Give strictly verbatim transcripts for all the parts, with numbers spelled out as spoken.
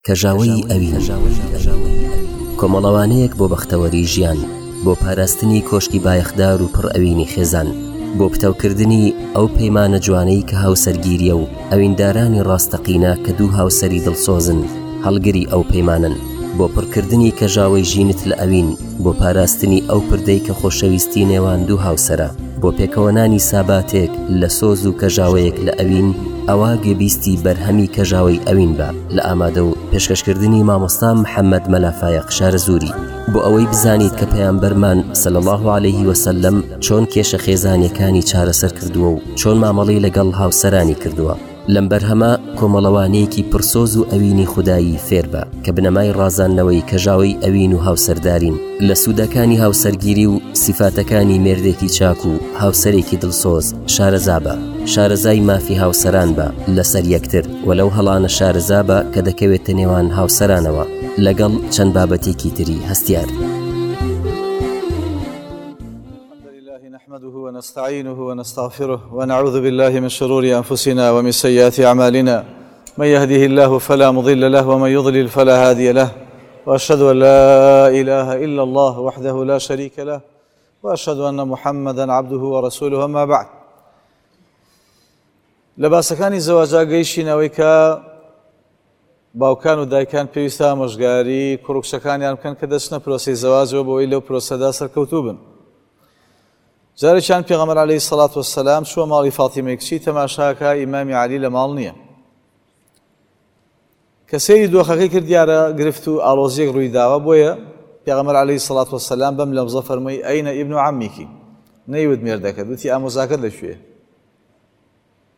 کەژاوەی ئەوین، کۆمەڵەوانەیەک بۆ بەختەوەری ژیان، بۆ پاراستنی کۆشکی بایەخدار و پڕ ئەوینی خێزان، بۆ پتەوکردنی ئەو پەیمانە جوانەی کە هاوسەرگیریە و ئەویندارانی ڕاستەقینە کە دوو هاوسەری دڵسۆزن هەڵگری ئەو پەیمانن، بۆ پڕکردنی کەژاوەی ژینت لە ئەوین، بۆ پاراستنی ئەو پردەی کە خۆشەویستی نێوان دوو هاوسەرە، بۆ پێکەوەنانی ساباتێک لە سۆز و کەژاوەیەک لە ئەوین، ئەوە گوێبیستی بەرهەمی کەژاوەی ئەوین بە لە ئامادە و پێشکەشکردنی مامۆستا محەممەد مەلا فایەق شارەزووری، بۆ ئەوەی بزانیت کە پەیامبەرمان صلی الله علیه وسلم چۆن کێشە خێزانیەکانی چارەسەر کردووە و چۆن مامەڵەی لەگەڵ هاوسەرانی کردووە. لەم بەرهەمە کۆمەڵەوانەیەکی پرسۆز و ئەوینی خودایی فێربە کە بنەمای ڕازاندنەوەی کەژاوەی ئەوین و هاوسەردارین، لە سوودەکانی هاوسەرگیری و سیفاتەکانی مێردێکی چاک و هاوسەرێکی دڵسۆز شارەزابە، شارەزای مافی هاوسەران بە لەسەر یەکتر و لەو هەڵانە شارەزابە کە دەکەوێتە نێوان هاوسەرانەوە، لەگەڵ چەند بابەتێکی تری هەستیار. نحمده ونستعينه ونستغفره ونعوذ بالله من شرور أنفسنا ومن سيئات أعمالنا، من يهده الله فلا مضل له ومن يضلل فلا هادي له، وأشهد أن لا إله إلا الله وحده لا شريك له، وأشهد أن محمدا عبده ورسوله. أما بعد، لەباسەکانی زەواجا گەیشتینەوەی کە باوکان و دایکان پێویستە ئامۆژگاری کوڕ و کچەکانیان بکەن کە دەچنە پرۆسەی زەواجەوە بۆ ئەوەی لەو پرۆسەدا سەرکەوتوو بن. جارێکیان پێغەمبەر عەلەیهی سەڵات وەسەلام چووە ماڵی فاتیمەی کچی، تەماشاکە ئیمامی عەلی لە ماڵ نییە. کە سەیری دۆخەکەی کرد دیارە گرفت و ئاڵۆزییەک ڕووی داوە، بۆیە پێغەمبەر عەلەیهی سەڵات وەسەلام بەم لەفزە فەرمووی ئەینە ئیبن عەمیکی، نەیوت مێردەکەت، وتی ئامۆزاکەت لەکوێیە؟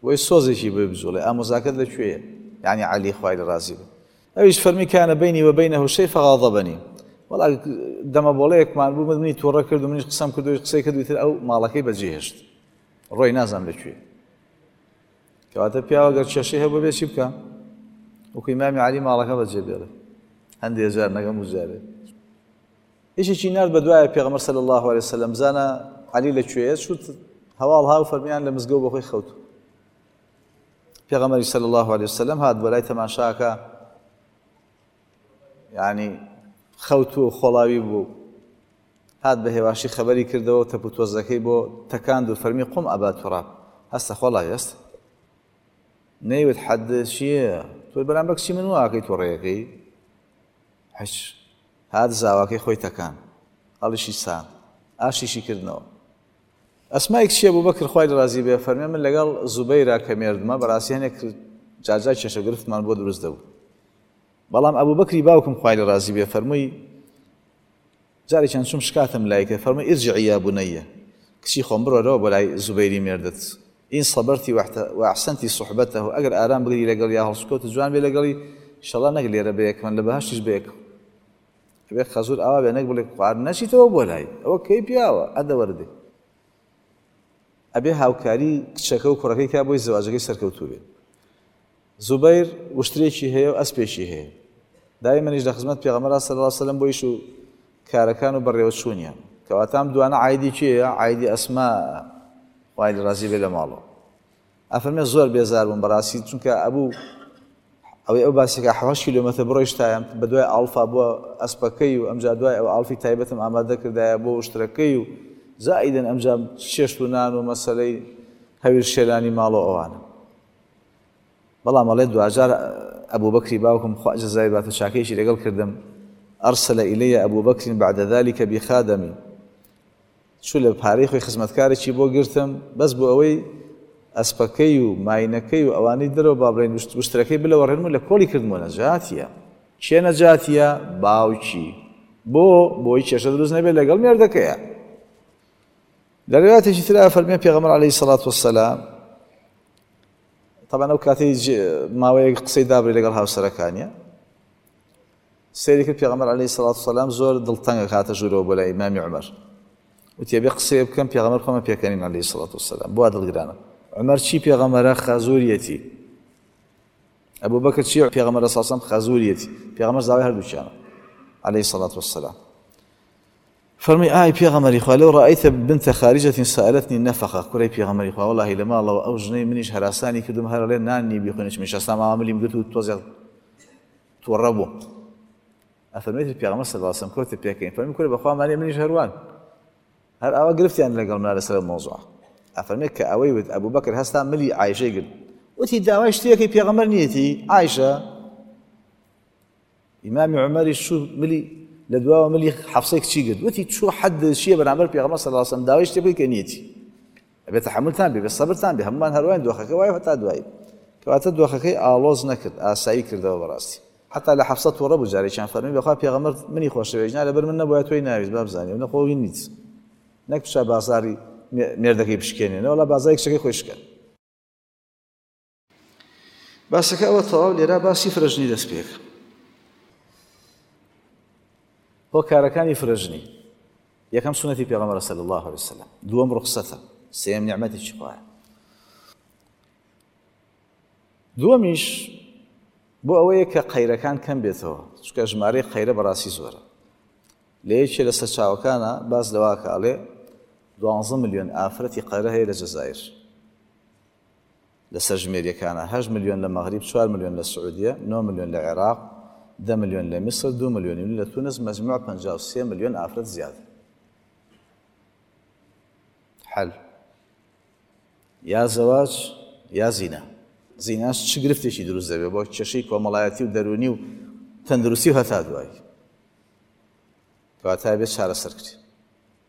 بۆی سۆزێکی بۆی بجوڵێ، ئامۆزاکەت لەکوێیە؟ یعنی عەلی خوای لە ڕازی بێ. ئەویش فەرمی کانە بەینی وەبەینەه شەی فەغاضەبەنی، وەڵا دەمە بۆڵەیەکمان بوو، منی تووڕە کرد و منیش قسەم کرد و قسەی کرد و ئیتر ئەو ماڵەکەی بەجێهێشت، ڕۆی نازانم لەکوێ. کەواتە پیاوە گەر کێشەی هەبوو بێ چی بکە؟ وەکو ئیمامی عەلی ماڵەکە بەجێ بێڵێ، هەندێ جار نەگەم و جارێ. یەکێکی نارد بە دوایە پێغەمبەر صلی الله علیه وسلم زانە عەلی لەکوێیە، چوو هەواڵ هاو فەرمیان لە مزگەوت بەخۆی خەوت. پێغەمبەری صلی الله علیه وسلم هات بۆ لای تەماشاکە، یعنی خەوت و خۆڵاوی بوو، هات بە هێواشی خەبەری کردەوە و تەپ و تۆزەکەی بۆ تەکاند و فەرمی قوم ئەبا توراب، هەستە خۆڵاوی هەستە. نەیوت حەد چییە؟ تۆ بەرامبەر کچی من واکەی تۆڕەیەکەی؟ هیچ. هات زاواکەی خۆی تەکان، هەڵیشی سان، ئاشیشی کردنەوە. ئەسمای کچی ئەبوبەکر خوای لە ڕازی بێ فەرمێ من لەگەڵ زوبەیرا کە مێردمە بەڕاستی هەنێک جارجار کێشە گرفتمان بۆ دروست دەبوو، بەڵام ئەبوبەکری باوکم خوای لە ڕازی بێ فەرمووی جارێکیان چووم شکاتم لای کرد، فەرمووی ارجعی یا بنیە، کچی خۆم بڕۆرەوە بۆ لای زوبەیری مێردت، ئین صبرتی وأحسنتی صحبته، ئەگەر ئارام بگری لەگەڵ یا هەڵسوکەوت جوان بێ لەگەڵی ئینشەڵڵا نەک لێرە بەیەکمن لە بەهەشتیش بەیەکم. ئەبێ خەزور ئاوا بێ نەک بڵێ خوارد نەچیتەوە بۆ لای ئەوە کەی پیاوە ئەدەوەردێ. ئەبێ هاوکاری کچەکە و کوڕەکەی کا بۆی زەواجەکەی سەرکەوتوو بێ. زوبەیر وشترێکی هەیە و ئەسپێکی هەیە، دایمەنیش لە خزمەت پێغەمبەر صلی الله علیه وسلم بۆیش و کارەکان و بەڕێوەچوونیان. کەواتە ئەم دوانە عایدی کێیە؟ عایدی ئەسما خوای لە ڕازی بێ لە ماڵەوە. ئەفەرمێ زۆر بێزار بووم بەڕاستی، چونکە ئەبوو ئەوەی ئەو باسێکە حەوت کیلۆمەتر بڕۆیشتایەم بە دوای ئاڵفا بۆ ئەسپەکەی و ئەمجا دوای ئەو ئاڵفی تایبەتم ئامادە کردایە بۆ وشترەکەی و زائیدن ئەمجا چێشت و نان و مەسەلەی هەویر شێلانی ماڵەوە ئەوانە. بەڵام ئەڵێ دواجار ئەبوبەکری باوکم خوا جەزای باتە چاکەیەکی لەگەڵ کردم، ئەرسلە ئیلەیە ئەبوبەکرین بعد ذلك بخادمی، چوو لە پارەی خۆی خزمەتکارێکی بۆ گرتم بەس بۆ ئەوەی ئەسپەکەی و ماینەکەی و ئەوانەی دەرەوە با بڵێن وشترەکەی بلەوەڕێنم و لە کۆڵی کردمەوە. نەجاتیە. کێ نەجاتیە؟ باوکی. بۆ بۆی کێشە دروست نەبێت لەگەڵ مێردەکەیە. لە ڕێواتێکی ترا فەرمیان پێغەمبەر عەلەیهی سەڵات وەسەلام، طبعا ئەو کاتەی ماوەیەک قسەی دابڕی لەگەڵ هاوسەرەکانیە، سەیری کرد پێغەمبەر عەلەیهی سەڵات وەسەلام زۆر دڵتەنگە هاتە ژوورەوە بۆ لای ئیمامی عومەر، وتی ئەبێ قسەیە بکەم پێغەمبەر خۆمە پێکەنین عەلەیهی سەڵات وەسەلام، بۆ دڵگرانە. عومەر چی پێغەمبەرە؟ خەزوریەتی. ئەبوبەکر چی پێغەمبەرە صلی الله علیه وسلم؟ خەزوریەتی. پێغەمبەر زاوای هەردووکیانە عەلەیهی سەڵات وەسەلام. فەرمی ئای پێغەمبەری خوا لەو ڕأیتە بنتە خارجة سألتنی نەفەقە، کوڕی پێغەمبەری خوا وەڵاهی لە ماڵەوە ئەو ژنەی منیش هەراسانی کردم هەر ئەڵێ نان نی بیخوێنە، چونکە ئێستا ماوە ملیم گرت و تۆزێک تووڕە بووم. ئەفەرمێتی پێغەمبەر صلی الله علیه و سلم کەوتە پێکەین، فەرمی کورە بەخوا مانێ منیش هەروان، هەر ئاوا گرفتیان لەگەڵ منا لەسەر مەوزوع. ئەفەرمێت کە ئەوەی وت ئەبوبەکر هەستا ملی عایشەی گرت، وتی داوای شتێکی پێغەمبەر نیەتی عایشە. ئیمامی عومەریش چوو ملی لە دواوە ملی حەفسەی کچی گرت، وتی چوو حەد چییە بەرامبەر پێغەمبەر صلی الله علیه و سلم داوای شتێ بکەی کە نیەتی. ئەبێ تەحەمولتان بێ، بێ سەبرتان بێ، هەمومان هەروایین دۆخەکە وایە هەتا دوایی. کەواتە دۆخەکەی ئاڵۆز نەکرد، ئاسایی کردەوە بەڕاستی. حتا لە حەفسە تووڕە بوو جارێکیان فەرمی بەخوا پێغەمبەر منی خۆشەوێت، نا لەبەر من نەبووە تۆی ناویست با بزانی و نەخۆ نیت، نەک بچە بازاری مێردەکەی بشکێنێ، نەوەڵا بازاری کچەکەی خۆی شکا. باسەکە ئەوە تەواو لێرە باسی فرەژنی دەست پێکە. هۆکارەکانی فرەژنی یەکەم سوننەتی پێغەمبەر صلی الله علیه وسلم، دووەم ڕوخسەتە، سێیەم نیعمەتێکی خوایە. دووەمیش بۆ ئەوەیە کە قەیرەکان کەم بێتەوە، چونکە ژمارەی قەیرە بەڕاستی زۆرە. لە یەکێ لە سەرچاوەکانە باس لەواکە ئەڵێ دوانزە ملیۆن ئافرەتی قەیرە هەیە لە جەزائیر، لە سەرژمێریەکانە هەشت ملیۆن لە مەغریب، چوار ملیۆن لە سعودیە، نۆ ملیۆن لە عێراق، دە ملیۆن لە میسر، دوو ملیۆن لە تونس، مەجموع پەنجا و سێ ملیۆن ئافرەت زیادە. حەل یا زەواج یا زینا. زیناش چ گرفتێکی دروست دەبێت بۆ کێشەی کۆمەڵایەتی و دەروونی و تەندروستی و هەتا دوایی. کەواتە بێت چارەسەر کرێ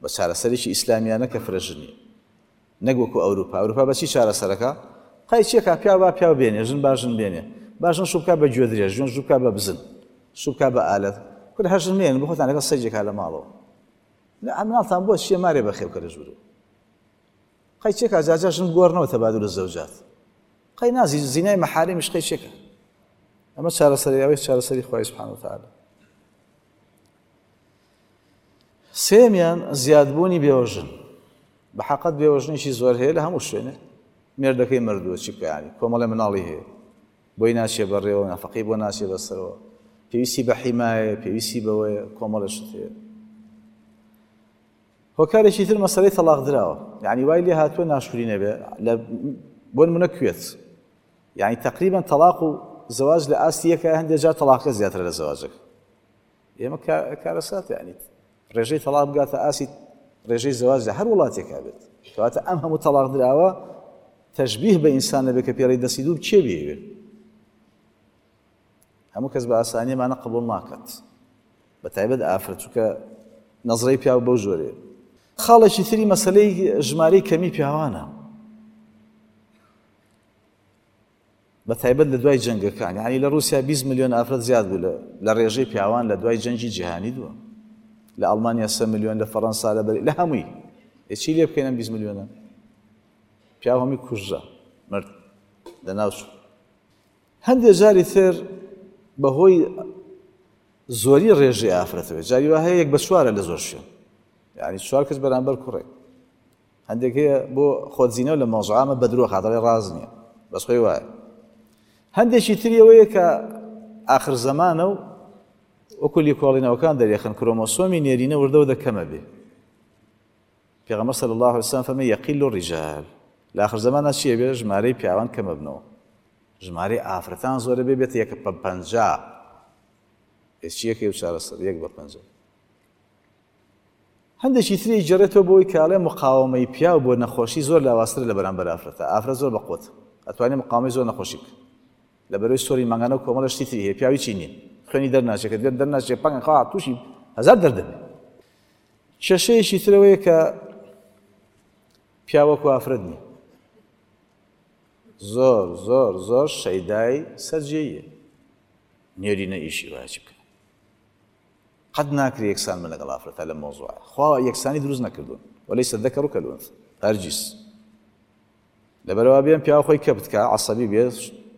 بە چارەسەرێکی ئیسلامیانە کە فرەژنیە، نەک وەکو ئەوروپا. ئەوروپا بە چی چارەسەرەکە؟ قەی چیەکە پیاو با پیاو بێنێ، ژن با ژن بێنێ، با ژن شوو بکا بە گوێدرێژ، ژن شوو بکا بە بزن، شوو بکا بە ئالەت، کورە هەر ژن مێنن بۆ خۆتان لەگەڵ سەیجێکا لە ماڵەوە. لە مناڵتان بۆ چییە مارێ بەخێو کە لە ژوورەوە. قەی چیەکە جاجا ژن بگۆڕنەوە تەبادل الزەوجات، قەی نازی زینای مەحاریمیش قەی چیەکە. ئەمە چارەسەری ئەوەی چارەسەری خوای سبحانه وتعالی. سێمیان زیادبوونی بێوەژن. بە حەقەت بێوەژنێکی زۆر هەیە لە هەموو شوێنێ، مێردەکەی مردووە چی بکە، یانی کۆمەڵێ مناڵی هەیە، بۆی ناچێ بەڕێوە، نەفەقەی بۆ ناچێ بەسەرەوە، پێویستی بە حیمایە، پێویستی بەوەیە، کۆمەڵێ شت هەیە. هۆکارێکی تر مەسەلەی تەلاق دراوە، یعنی وای لێ هاتووە ناشکوری نەبێ لە بۆ نمونە کوێت، یعنی تقریبا تەلاق و زەواج لە ئاستی یەکە، هەندێک جار تەلاقە زیاترە لە زەواجەکە. ئێمە کارەساتە، یعنی ڕێژەی تەلاق بگاتە ئاستی ڕێژەی زەواج لە هەر وڵاتێکا بێت. کەواتە ئەم هەموو تەلاق دراوە تەشبیه بە ئینسان نەبێ کە پێڕی دەستی دوو کێ بێوێ. هەموو کەس بە ئاسانیمانە قبوڵ ناکات، بە تایبەت ئافرەت، چونکە نەزرەی پیاو بەو جۆرەیە. خاڵێکی تری مەسەلەی ژمارەی کەمی پیاوانە، بە تایبەت لە دوای جەنگەکان. یعنی لە ڕووسیا بیست ملیۆن ئافرەت زیاد بوو لە ڕێژەی پیاوان لە دوای جەنگی جیهانی دووە، لە ئەڵمانیا سێ ملیۆن، لە فەڕەنسا لە بەری لە هەمووی. ئێ چی لێ بکەین ئەم بیست ملیۆنە؟ پیاو هەمووی کوژرا، مرد، لەناو چوو. هەندێک جاری تر بەهۆی زۆری ڕێژەی ئافرەتەوە، جاری وا هەیە یەک بە چوارە لە زۆر شوێن، یعنی چوار کەس بەرامبەر کوڕێک. هەندێک هەیە بۆ خۆدزینەوە لە مەوزوعامە بە درۆ خاتەڵێ ڕاز نییە، بەس خۆی وایە. هەندێکی تری ئەوەیە کە ئاخر زەمانە و وەکو لێکۆڵینەوەکان دەرێخن کرۆمۆسۆمی نێرینە وردەوە دەکەمە بێ. پێغەمبەر صلی الله علیه وسلم فەرمی یەقیل الرجال، لە ئاخر زەمانە چییە بێ؟ ژمارەی پیاوان کەمە بنەوە، ژمارەی ئافرەتان زۆرە بێ بێتە یەک بە پەنجا. ئێ چییەکەی و چارەسەر یەک بە پەنجا. هەندێکی تری جێڕێتەوە بۆی کاڵێ مقاومەی پیاو بۆ نەخۆشی زۆر لاوازترە لە بەرامبەر ئافرەتە. ئافرەت زۆر بەقوەت، ئەتوانێت مقاومەی زۆر نەخۆشی بکە، لە بەرەوەی سۆری مانگانە و کۆمەڵە شتی تری هەیە، پیاوی چی نییە، خوێنی دەرناچێت، کە دەرناچێت پەنگە خوا تووشی هەزار دەردەبێ. کێشەیەکی ترەوەیە کە پیاو وەکو ئافرەت نییە، زۆر زۆر زۆر شەیدای سەرجێیە، نێرینە ئیشی وایە چی بکە. قەت ناکرێ یەکسان بن لەگەڵ ئافرەتە لەم مەوزوعە. خوا یەکسانی دروست نەکردوون، وەلەیسە الذەکەر کەلئونثا، هەرگیز. لەبەرەوە بێن پیاو خۆی کە بتکا، عەسەبی بێ،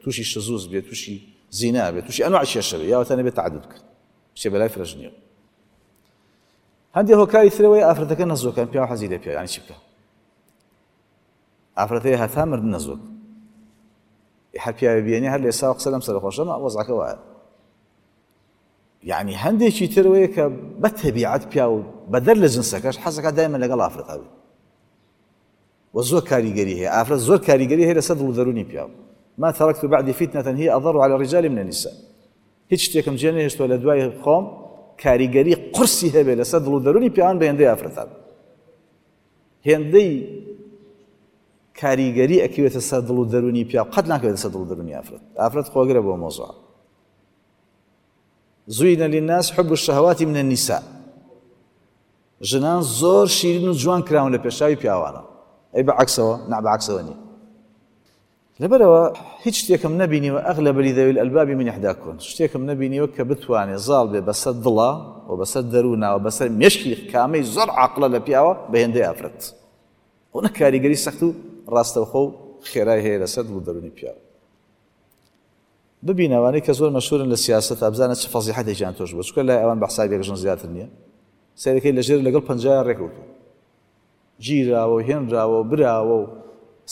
تووشی شزوز بێ، تووشی زینا بێ، تووشی ئەنواع کێشە بێ، یاوەتە نەبێ تەعەدود بکە، بچێ بەلای فرەژنیەوە. هەندێک هۆکاری ترەوەی ئافرەتەکە نەزۆکەن، پیاو حەزی لێ پیاو، یعنی چی بکە؟ ئافرەتەیە هەتا مردن نەزۆک، هەر پیاوێ بێنێ هەر لە ئێستا قسە لەم سەرخۆشەمە وەزعەکە وایە. یعنی هەندێکی ترەوەیە کە بە تەبیعەت پیاو بەدەر لە جنسەکەش حەزەکە دایمە لەگەڵ ئافرەتا بێ و زۆر کاریگەری هەیە. ئافرەت زۆر کاریگەری هەیە لەسەر دڵ و دەروونی پیاو. ما تركت بعد فتنة هي أضر على الرجال من النساء. هیچ شتێکم جێ نەهێشتووە لە دوای خۆم کاریگەری قورسی هەبێ لەسەر دڵ و دەروونی پیاوان بە هێندەی ئافرەتان. هێندەی کاریگەری ئەکەوێتە سەر دڵ و دەروونی پیاو قەت ناکەوێتە سەر دڵ و دەروونی ئافرەت. ئافرەت خۆگرە بۆ مۆزوع. زوینە للناس حب الشهوات من النساء. ژنان زۆر شیرین و جوان کراون لە پێشاوی پیاوانە. ئەی بەعەکسەوە؟ نا بەعەکسەوە نییە. لەبەرەوە هیچ شتێکم نەبینیوە ئەغلب لذوی الألباب من إحداكن، شتێکم نەبینیوە کە بتوانێ زاڵ بێ بەسەر دڵا و بەسەر دەرووناوە بەسەر مێشکی کامەی زۆر عاقڵە لە پیاوە بە هێندەی ئافرەت. ئەوە کاریگەری سەخت و ڕاستەوخۆ و خێرای هەیە لەسەر دڵ و دەروونی پیاو. ببینەوانەی کە زۆر مەشهورن لە سیاسەت ئەبزانە چ فەزیحەتێکیان تۆش بوو، چونکە لای ئەوان بە حسابێک ژن زیاتر نییە. سەیرەکەی لەژێر لەگەڵ پەنجایە ڕێکەوتوو، گیراوە و هێنراوە و براوە و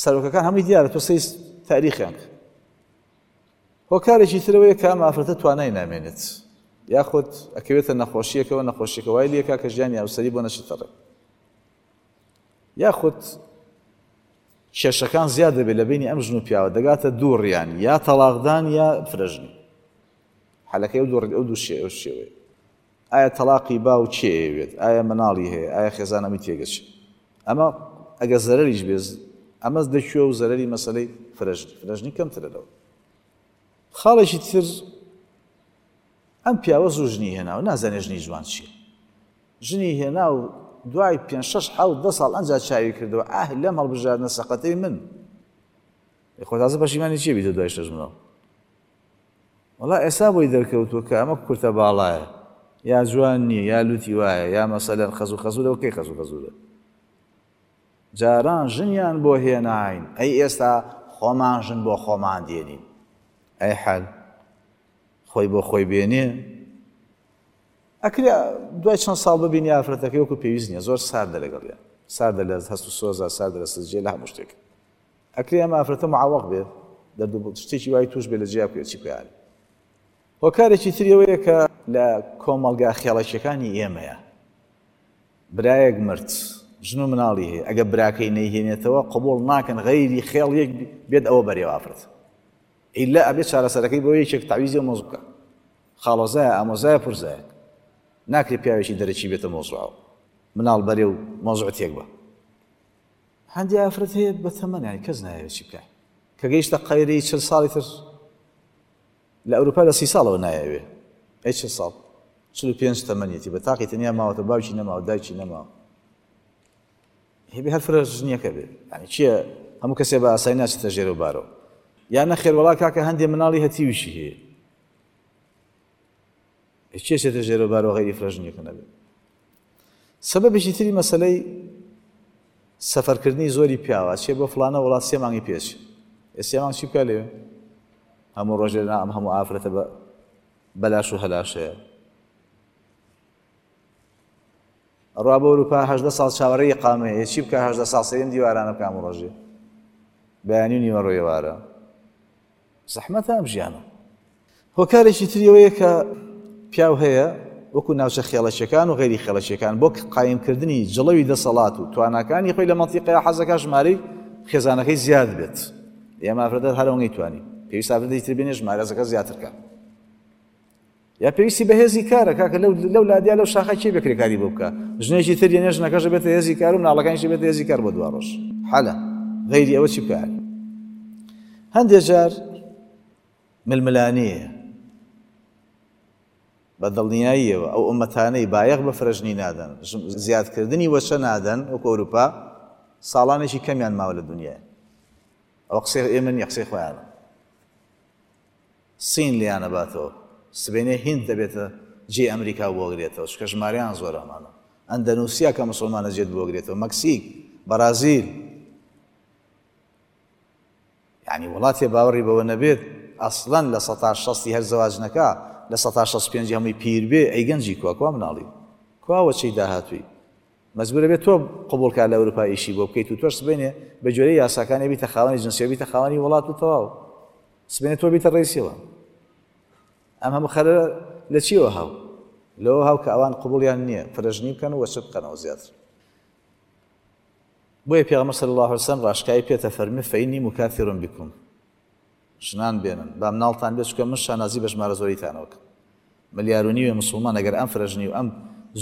سەرۆکەکان هەمووی دیارە، تۆ سەی تاریخیان کرد. هۆکارێکی ترەوەیە کە ئەم ئافرەتە توانای نامێنێت، یاخود ئەکەوێتە نەخۆشیەکەوە، نەخۆشیەکە وای لێکا کە ژیانی هاوسەری بۆ نەچێتە ڕێ، یاخود کێشەکان زیاد دەبێت لە بینی ئەم ژن و پیاوە، دەگاتە دوو ڕیان، یا تەلاقدان یا فرەژنی. حەلەکەی ئەو دوو ئەو دوو شێوەیە. ئایا تەلاقی باو کێ ئەیەوێت؟ ئایا مناڵی هەیە؟ ئایا خێزان ئەمی تێگەچێت؟ ئەمە ئەگەر زەرەریش بێت، ئەمە دەکوێ و زەرەری مەسەلەی فرەژنی، فرەژنی کەمترە لەوە. خاڵێکی تر، ئەم پیاوە زوو ژنی هێناوە، نازانێ ژنی جوان چییە. ژنی هێنا و دوای پێنج شەش حەوت دە ساڵ ئەنجا چاوی کردەوە، ئاه لەم هەڵبژاردنە سەقەتەی من. خۆ تازە پەشیمانی چییە بیتە دوای شەش مناڵ؟ وەڵا ئێستا بۆی دەرکەوتووە کە ئەمە کورتە باڵایە، یا جوان نییە، یا لوتی وایە، یا مەسەلەن خەزوو خەزوورە، کەی خەزوو خەزوورە؟ جاران ژنیان بۆ هێناین، ئەی ئێستا خۆمان ژن بۆ خۆمان دێنین. ئەی حەل خۆی بۆ خۆی بێنێ. ئەکرێ دوای چەند ساڵ ببینی ئافرەتەکەی وەکو پێویست نییە، زۆر ساردە لەگەڵیان، ساردە لە هەست و سۆزە، ساردە لە سزجێ، لە هەموو شتێک. ئەکرێ ئەم ئافرەتە معەوەق بێت، دەرد و شتێکی وای توش بێت لە جیا بکەوێت، چی بکات؟ هۆکارێکی تری ئەوەیە کە لە کۆمەڵگا خێڵەکیەکانی ئێمەیە، برایەک مرد، ژن و مناڵی هەیە، ئەگەر براکەی نەیهێنێتەوە قبوڵ ناکەن غەیری خێڵ یەک بێت ئەوە بەرێوە ئافرەت. ئیلا ئەبێت چارەسەرەکەی بۆ یەکێک تەعویزی ئەو مۆزوع بکە، خاڵۆزایە، ئامۆزایە، پورزایە، ناکرێت پیاوێکی دەرەکی بێتە مۆزوعەوە، مناڵ بەرێ و مۆزوع تێک بە. هەندێک ئافرەت هەیە بە تەمەن، یانی کەس نایەوێت چی بکات، کە گەیشتە قەیرەی چل ساڵی تر لە ئەوروپا لە سی ساڵەوە نایەوێ، ئەی چل ساڵ، چل و پێنج تەمەنیەتی، بە تاقی تەنیا ماوەتە، باوکی نەماوە، دایکی نەماوە، هێبێ هەر فرە ژنیەکە بێ. یعنی چییە هەموو کەسێ بە ئاسایی ناچێتە ژێرە و بارەوە. یا نەخێر وەڵا کاکە هەندێ مناڵی هەتیویشی هەیە، کێ چێتە ژێرە و بارەوە غەیری فرەژنیەکە نەبێت؟ سەبەبێکی تری مەسەلەی سەفەرکردنی زۆری پیاوە، چێ بۆ فڵانە وڵات سێ مانگی پێچ، ئێ سێ مانگ چی بکا لەوێ؟ هەموو ڕۆژێ نا ئەم هەموو ئافرەتە بەلاش و هەلاشەیە. ڕوا بۆ ئەوروپا هەژدە ساڵ چاوەڕێی ئیقامەیە، چی بکا هەژدە ساڵ سەریم دیوارانە بکا هەموو ڕۆژێ، بەیانی و نیوەڕۆ ئێوارە؟ زەحمەتە ئەم ژیانە. هۆکارێکی تری ئەوەیە کە پیاو هەیە وەکو ناوچە خێڵەکیەکان و غەیری خێڵەکیەکان بۆ قایمکردنی جڵەوی دەسەڵات و تواناکانی خۆی لە مەنتیقەیە حەزەکە ژمارەی خێزانەکەی زیاد بێت. ئێمە ئافرەتە هەر ئەوەی توانی پێویست ئافرەتی تر بێنێ ژمارەکە زیاتر کە، یا پێویستی بە هێزی کارە کاکە لەو لادیا لەو شاخە کێ بێ کرێکاری بۆ بکە، ژنێکی تر یەنێ ژنەکەش بێتە هێزی کار و مناڵەکانیشی بێتە هێزی کار بۆ دوا ڕۆژ. حەلە غەیری ئەوە چی بکات؟ هەندێک جار ململانێیە بە دڵنیاییەوە ئەو ئومەتانەی بایەخ بە فرەژنی نادەن، زیادکردنی وەچە نادەن وەکو ئەوروپا، ساڵانێکی کەمیان ماوە لە دنیای. ئەوە قسەی ئێمە نییە، قسەی خۆیانە. سین لێیانە باتەوە، سبێنێ هیند دەبێتە جێ ئەمریکا بۆگرێتەوە، چونکە ژمارەیان زۆر ئەمانە. ئەندەنووسیا کە مسلمانە جێت بۆگرێتەوە، مەکسیک، بەرازیل، یعنی وڵاتێ باوەڕی بەوە نەبێت ئەسڵەن لە سەتا شەستی هەر زەواج نەکا، لە سەتا شەست پێنجی هەمووی پیر بێ، ئەی گەنجی کوا، کوا مناڵی، کوا وەچەی داهاتووی؟ مەجبورە بێت تۆ قبوڵ کا لە ئەوروپا ئیشی بۆ بکەیت و تۆش سبەینێ بە گوێرەی یاساکانی بیتە خاوەنی جنسیە، بیتە خاوەنی وڵات و تەواو، سبەینێ تۆ بیتە ڕئیسیەوە. ئەم هەموو خەرە لە چیەوە هاو؟ لەوە هاو کە ئەوان قبوڵیان نییە فرەژنی بکەن و وەچە بکەنەوە زیاتر. بۆیە پێغەمبەر صلی الله علیه وسلم ڕاشکاوی پێتە فەرمی فإنی مکاثر بکم، ژنان بێنن با مناڵتان بێت، چونکە من شانازی بە ژمارە زۆریتانەوە بکەم. ملیار و نیوێ مسلمان ئەگەر ئەم فرەژنی و ئەم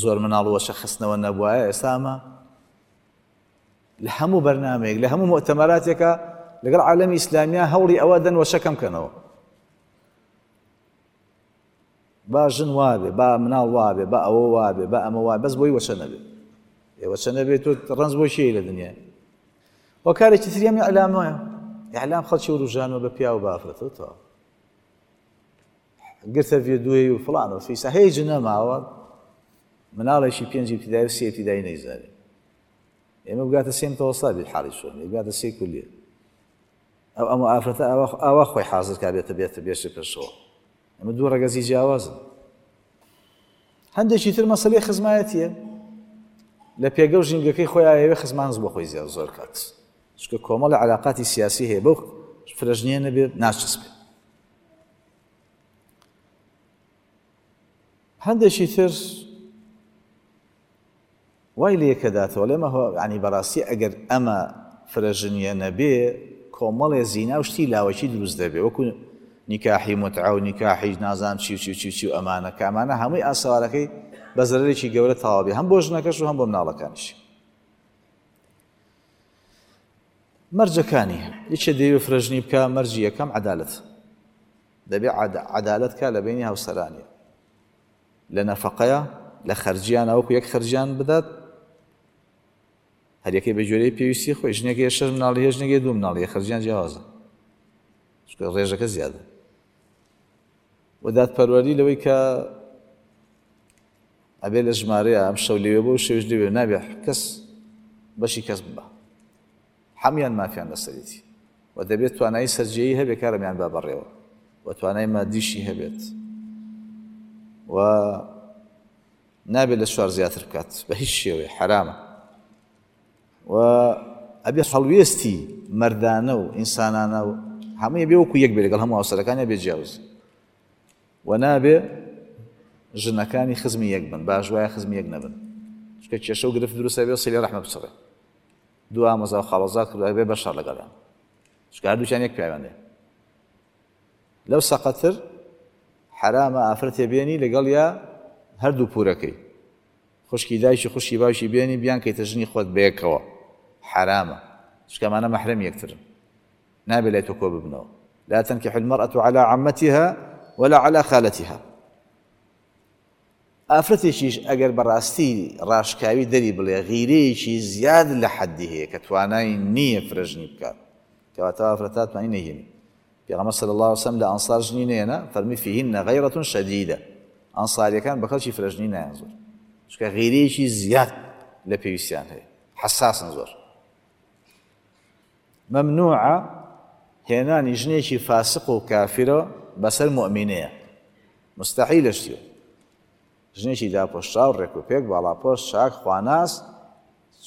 زۆر مناڵ وەچە خستنەوە نەبوایە، ئێستا ئەمە لە هەموو بەرنامەیەک، لە هەموو مؤتەمەراتێکە لەگەڵ عالەمی ئیسلامیا هەوڵی ئەوە دەن وەچە کەم کەنەوە. با ژن وابێ، با مناڵ وابێ، با ئەوە وابێ، با ئەمە وابێ، بەس بۆی وەچە نەبێ. ئێ وەچە نەبێ تۆ ڕەنج بۆ کێی لە دنیا؟ هۆکارێکی تری ئەم ئیعلامەیە. ئیعلام خەڵکی وروژانەوە بە پیاو بە ئافرەتەوە تەواو. گرتە ڤیدیۆی و فڵان و فیسا هیچ نەماوە، مناڵێکی پێنج ئیبتیدایی و سێ ئیبتیدایی نەیزانێ. ئێمە بگاتە سێ متەوەستا بێت حاڵی چۆن، بگاتە سێ کولیە. ئەو ئەمە ئافرەتە ئاوا خۆی حازر کا بێتە بێتە بێشە پێشەوە. ئەمە دوو ڕەگەزی جیاوازن. هەندێکی تر مەسەلەی خزمایەتیە، لە پێگە و ژینگەکەی خۆی ئاوێ خزمانز بۆ خۆی زیاد زۆر کات، چونکە کۆمەڵە علاقاتی سیاسی هەیە، بەو فرەژنیە نەبێت ناچەسپێ. هەندێکی تر وای لێکەداتەوە لێمە ینی بەڕاستی ئەگەر ئەمە فرەژنیە نەبێ کۆمەڵێ زینا و شتی لاوەکی دروست دەبێ، وەکو نیکاحی متعە و نیکاحی نازام چی و چی و چی و چی و ئەمانە، کە ئەمانە هەمووی ئاسەوارەکەی بە زەرەرێکی گەورە تەواو بێ، هەم بۆ ژنەکەش و هەم بۆ مناڵەکانیش. مەرجەکانی یەکێ دەیەوێ فرەژنی بکە، مەرجی یەکەم عەدالەت. دەبێ عەدالەت کا لە بەینی هاوسەرانی، لە نەفەقەیە، لە خەرجیان وەکو یەک خەرجیان بدات، هەریەکەی بە گوێرەی پێویستی خۆی. ژنێکی شەش مناڵی هەیە، ژنێکی دوو مناڵی هەیە، خەرجیان جیاوازە، چونکە ڕێژەکە زیادە. و دادپەروەری لەوەی کە ئەبێ لە ژمارەیە ئەم شەو لەوێ بۆ شەویش لەوێ، نابێ کەس بەشی کەس ببە، هەمویان مافیان لەسەرێتی. و دەبێت توانایی سەرجێیی هەبێ کارەمیان با بەڕێوە، و توانای مادیشی هەبێت، و نابێت لە چوار زیاتر بکات بە هیچ شێوەیە، حرامە. و ئەبێ هەڵوێستی مەردانە و ئینسانانە و هەمووی بێ وەکو یەک بێ لەگەڵ هەموو هاوسەرەکانیان بێ جیاوز. و نابێ ژنەکانی خزمی یەک بن، باش وایە خزمی یەک نەبن، چونکە کێشە و گرفت دروستە بێ سیلی ڕەحمە بچڕێ. دوو ئامۆزا و خاڵۆزا کردووە بێ بەشەڕ لەگەڵیان، چونکە هەردووکیان یەک پیاویان دێ. لەو سەقەتر حرامە ئافرەتێ بێنی لەگەڵ یا هەردوو پورەکەی، خوشکی دایکی خوشکی باوکی بێنی بیانکەیتە ژنی خۆت بەیەکەوە، حرامە، چونکە ئەمانە مەحرەم یەکترن، نابێ لای تۆ کۆ ببنەوە. لا تنكح المرأة على عمتها ولا على خالتها. ئافرەتێکیش ئەگەر بەڕاستی ڕاشکاوی دەری بڵێ غیرەیەکی زیاد لە حەدی هەیە کە توانای نییە فرەژنی بکات، کەواتە ئافرەتە توانی نەهێنی. پێغەمبەر صلی الله علیه وسلم لە ئەنصار ژنی نەهێنا، فەرمی فیهن غیرة شدیدە. ئەنصاریەکان بە خەڵکی فرەژنی نایان زۆر، چونکە غیرەیەکی زیاد لە پێویستیان هەیە، حەساسن زۆر. مەمنوعە هێنانی ژنێکی فاسق و کافرە بەسەر مؤمنەیە، مستحیلە شتیوە. ژنێکی داپۆشراو ڕێک و پێک، باڵاپۆش، چاک، خواناس،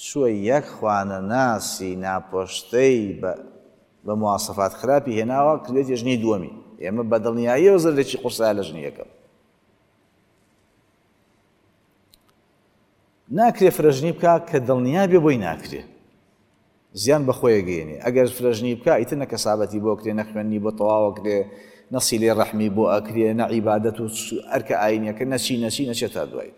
چووە یەک خوانەناسی ناپۆشتەی بە مواسەفات خراپی هێناوە، کردێتی ژنی دووەمی. ئێمە بە دڵنیاییەوە زەرەرێکی قورسایە لە ژنی یەکەم. ناکرێ فرەژنی بکا کە دڵنیا بێ بۆی ناکرێ، زیان بە خۆی گەیەنێ. ئەگەر فرەژنی بکا ئیتر نە کەسابەتی بۆ کرێ، نە خوێندنی بۆ تەواوە کرێ، نە سیلەی ڕەحمی بۆ ئەکرێ، نە عیبادەت و ئەرکە ئاینیەکە، نەچی نەچی نەچێت تا دوایی.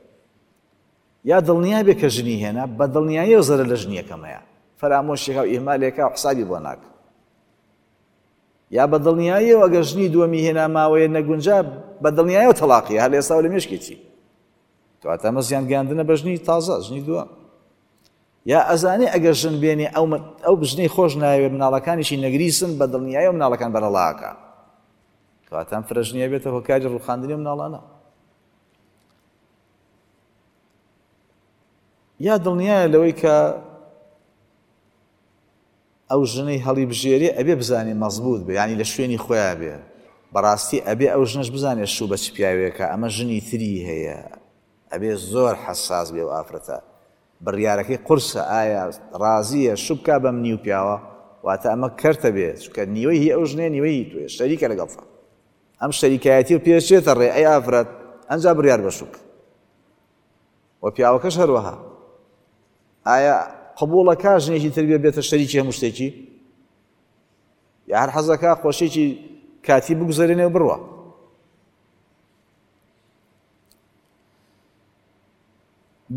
یا دڵنیا بێ کە ژنی هێنا، بە دڵنیاییەوە زەرەر لە ژنیەکەمەیە، فەرامۆشێکا و ئیهمالێکا و حسابی بۆ ناکە. یا بە دڵنیاییەوە ئەگەر ژنی دووەمی هێنا ماوەیە نەگونجا، بە دڵنیاییەوە تەلاقیە، هەر لە ئێستاوە لە مێشکێتی. کەواتە ئەمە زیان گەیاندنە بە ژنی تازە، ژنی دووەم. یا ئەزانێ ئەگەر ژن بێنێ ئەو ژنەی خۆش ناوێ مناڵەکانیشی نەگریسن، بە دڵنیاییەوە مناڵەکان بەرەڵاکە. کەواتە ئەم فرەژنیە بێتە هۆکاری ڕووخاندنی مناڵانە. یا دڵنیایە لەوەی کە ئەو ژنەی هەڵی بژێرێ ئەبێ بزانێ مەزبوط بێ، یعنی لە شوێنی خۆیان بێ. بەڕاستی ئەبێ ئەو ژنەش بزانێ شوو بە چ پیاوێکە، ئەمە ژنی تری هەیە، ئەبێ زۆر حەساس بێ و ئافرەتە. بڕیارەکەی قورسە، ئایا ڕازیە شوو بکا بەم نیو پیاوە؟ واتە ئەمە کەرتە بێ، چونکە نیوەی هی ئەو ژنەیە، نیوەی هی تۆیە، شەریکە لەگەڵتا. ئەم شەریکایەتی و پێشێتە ڕێ ئەی ئافرەت، ئەنجا بڕیار بە شوو بکە. و پیاوەکەش هەروەها ئایا قبوڵەکە ژنێکی تر بێ بێتە شەریکی هەموو شتێکی، یا هەر حەزەکە خۆشیێکی کاتی بگوزەرێنێ و بڕوا.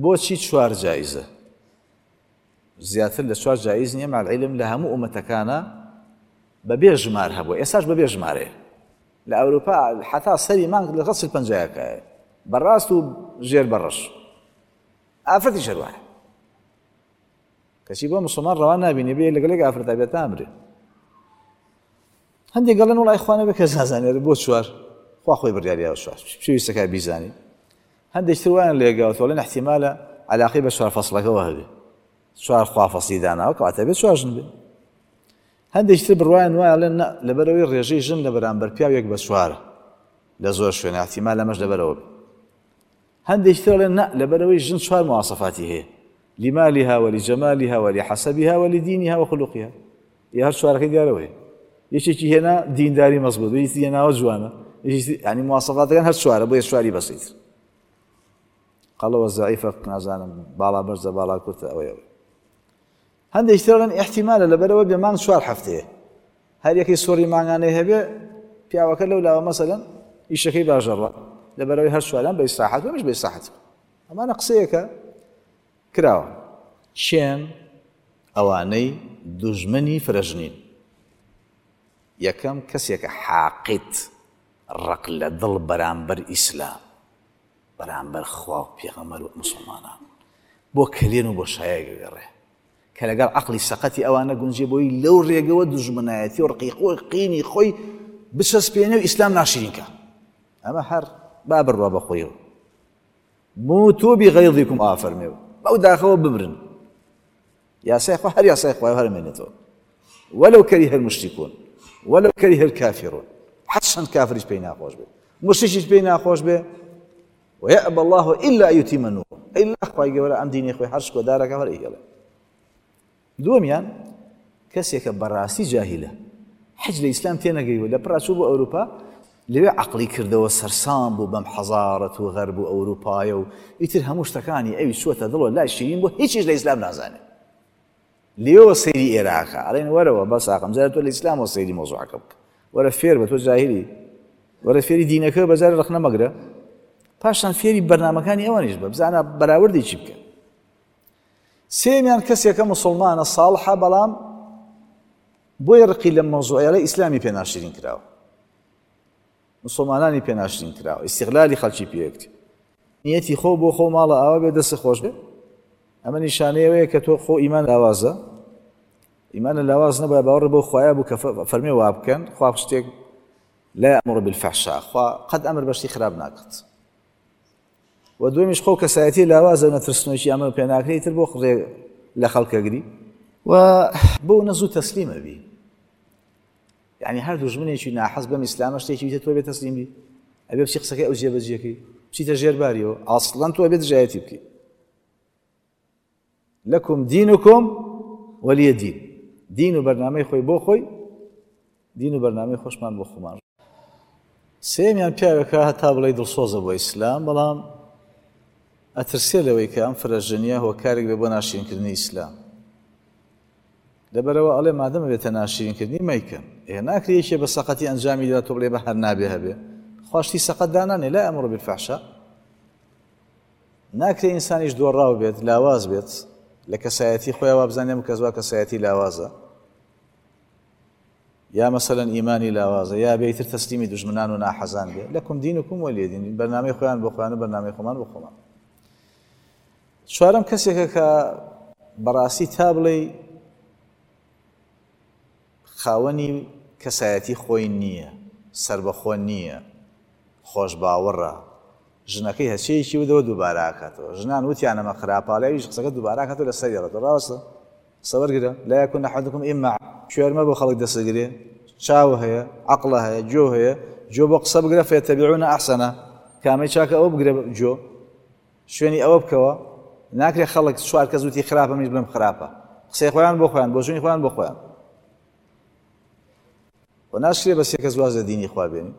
بۆچی چوار جایزە؟ زیاتر لە چوار جایز نییە. مع العلم لە هەموو ئومەتەکانە بەبێ ژمار هەبووە، ئێستاش بەبێ ژمارەیە. لە ئەوروپا حتا سەری مانگ لەگەڵ چل پەنجایەکایە، بەڕاست و ژێر بەڕەش، ئافرەتیش هەروایە. کەچی بۆ مسلمان ڕەوان نابینێ بێ لەگەڵێک ئافرەتا بێت ئامرێ. هەندێک گەڵێن وڵای خوا نەبێ کەس نازانێت بۆ چوار، خوا خۆی بڕیاریاوە چوار، پێویستەکە بیزانی. هەندێک تر وایان لێگاوە تۆڵێن احتیمالە علاقەی بە چوار فەصلەکەوە هەبێ، چوار خوا فەصلی داناوە کەواتە بێ چوار ژن بێ. هەندێک تر بڕوایان وایە ئەڵێن نا، لەبەرەوەی ڕێژەی ژن لە بەرامبەر پیاو یەک بە چوارە لە زۆر شوێنە، احتیمال ئەمەش لەبەرەوە بێ. هەندێک تر ئەڵێن نا، لەبەرەوەی ژن چوار مواصفاتی هەیە، لمالها ولجمالها ولحسبها ولدينها وخلقها، یا هەر چوارەکەی دیارەوە هەیە. یەکێکی هێنا دینداری مەزبوط، یەکێکی هێناوە جوانە، یعنی مواصفاتەکان هەر چوارە، بۆیە چواری بەسیت. قەڵەوە زەعیفە، نازانم باڵا بەرزە باڵا کورتە، ئەوەی ئەوەی. هەندێک تر ئەڵێن احتیمالە لەبەرەوە بێ مانگ چوار هەفتەیە، هەر یەکەی سۆڕی مانگانەی هەبێ پیاوەکە لەو لاوە مەسەلەن ئیشەکەی باشەڕە، لەبەرەوەی هەر چواران بە ئیسراحەت و ئەمەش بە ئیسراحەت. ئەمانە قسەیەکە کراوە. چێن ئەوانەی دوژمنی فرەژنین؟ یەکەم کەسێکە حاقیت، ڕق لە دڵ بەرامبەر ئیسلام، بەرامبەر خوا و پێغەمبەر و مسلمانان، بۆ کەلێن و بۆ شایەک گەڕێ کە لەگەڵ عەقڵی سەقەتی ئەوانە گونجێ بۆی لەو ڕێگەوە دوژمنایەتی و ڕقی خۆی قینی خۆی بچەسپێنێ و ئیسلام ناشرینکە. ئەمە هەر با بڕوا بە خۆیەوە. موتوا بغیظکم ئافەرمێ بەو داخەوە بمرن. یاسای خوا هەر یاسای خوایە هەر مێنێتەوە. ولو كره المشركون ولو كره الكافرون، حتى کافریش پێی ناخۆش بێ، مشرکیش پێی ناخۆش بێ. ويأبى الله إلا أن يتم نوره، إلا خوای گەورە ئەم دینی خۆی هەر شکۆدارەکە هەر ئەیهێڵێ. دووەمیان کەسێکە بەڕاستی جاهیلە، حەج لە ئیسلام تێنەگەیوە، لە پڕا چوو بۆ ئەوروپا، لەوێ عەقڵی کردەوە سەرسام بوو بەم حەزارەت و غەرب و ئەوروپایە و ئیتر هەموو شتەکانی ئەوی چووەتە دڵەوە لای شیرین بوو، هیچیش لە ئیسلام نازانێ. لێوە سەیری ئێراقە، ئەڵێن وەرەوە بەس ئاقم جارە تۆ لە ئیسلامەوە سەیری مەوزوعەکە بکە، وەرە فێر بە، تۆ جاهیلی، وەرە فێری دینەکە بەجارێ ڕەخنە مەگرە، پاشان فێری بەرنامەکانی ئەوانیش بە، بزانە بەراوردی چی بکە. سێمیان کەسێکە مسلمانە ساڵحە، بەڵام بۆی ڕقی لە مەوزوعیانە ئیسلامی پێ ناشرین کراوە، مسلمانانی پێ ناشرین کراوە، ئیستیغلالی خەڵکی پێیەکتی، نیەتی خۆ بۆ خۆ ماڵە ئاوا بێ دەست خۆش بێ. ئەمە نیشانەیەوەیە کە تۆ خۆ ئیمان لاوازە، ئیمانە لاواز نەبووە، باوەڕ بۆ خوایە بوو کە فەرمێ وا بکەن، خوا شتێک لا يأمر بالفحشاء، خوا قەت ئەمر بە شتی خراپ ناکات. و دومیش خۆ کەسایەتی لاوازە و نەترسنۆکی ئەمە پێ ناکرێ، ئیتر بۆ ڕێ لە خەڵکەگری و بۆ نەزوو تەسلیمە بی. یعنی هەر دوژمنێکی ناحەز بەم ئیسلامە شتێکی بیتە تۆ بێ تەسلیم بی، ئەبێ بچی قسەکەی ئەو جێبەجێکەی، بچیتە ژێر باریەوە، ئەسڵەن تۆ ئەبێ دژایەتی بکەی. لەکم دینکم وەلیە دین، دین و بەرنامەی خۆی بۆ خۆی، دین و بەرنامەی خۆشمان بۆ خۆمان. سێمیان پیاوێکە هەتا بڵێ دڵسۆزە بۆ ئیسلام، بەڵام ئەترسێ لەوەی کە ئەم فرەژنیە هۆکارێک بێ بۆ ناشرینکردنی ئیسلام. لەبەرەوە ئەڵێ مادەمە بێتە ناشرینکردنی مەیکەن، ئێ ناکرێ یەکێ بە سەقەتی ئەنجامی دا تۆ بڵێ بە هەر نابێ هەبێ، خواشتی سەقەت دانانێ، لا ئەمر بالفحشاء. ناکرێ ئینسانیش دۆڕاو بێت، لاواز بێت لە کەسایەتی خۆیان وابزانێ کەس وا کەسایەتی لاوازە، یا مەسەلەن ئیمانی لاوازە، یا بێتر تەسلیمی دوژمنان و ناحەزان بێ. لەکم دینکم وەلیە دین، بەرنامەی خۆیان بۆ خۆیان و بەرنامەی خۆمان بۆ خۆمان. چوارەم کەسێکە کە بەڕاستی تا بڵێ خاوەنی کەسایەتی خۆی نییە، سربەخۆ نییە، خۆشباوەڕە، ژنەکەی هەچەیەکی ودەوە دووبارە ئاکاتەوە. ژنان وتیان ئەمە خراپە، ئەویش قسەکە دووبارە ئاکاتەوە لەسەری ڕەتەوە. ڕاستە قسە وەرگرە، لا يكون أحدكم إما کوێرمە بۆ خەڵک دەسەگرێ، چاو هەیە، عەقڵە هەیە، گوێ هەیە، گوێ بۆ قسە بگرە، فيتبعون أحسنه، کامەی چاکە ئەوە بگرە گوێ، شوێنی ئەوە بکەوە. ناکرێ خەڵک چوار کەس وتی خراپە منیش بڵێم خراپە، قسەی خۆیان بۆ خۆیان، بۆچوونی خۆیان بۆ خۆیان. و ناشرێ بە سێ کەس واز لە دینی خوا بێنی.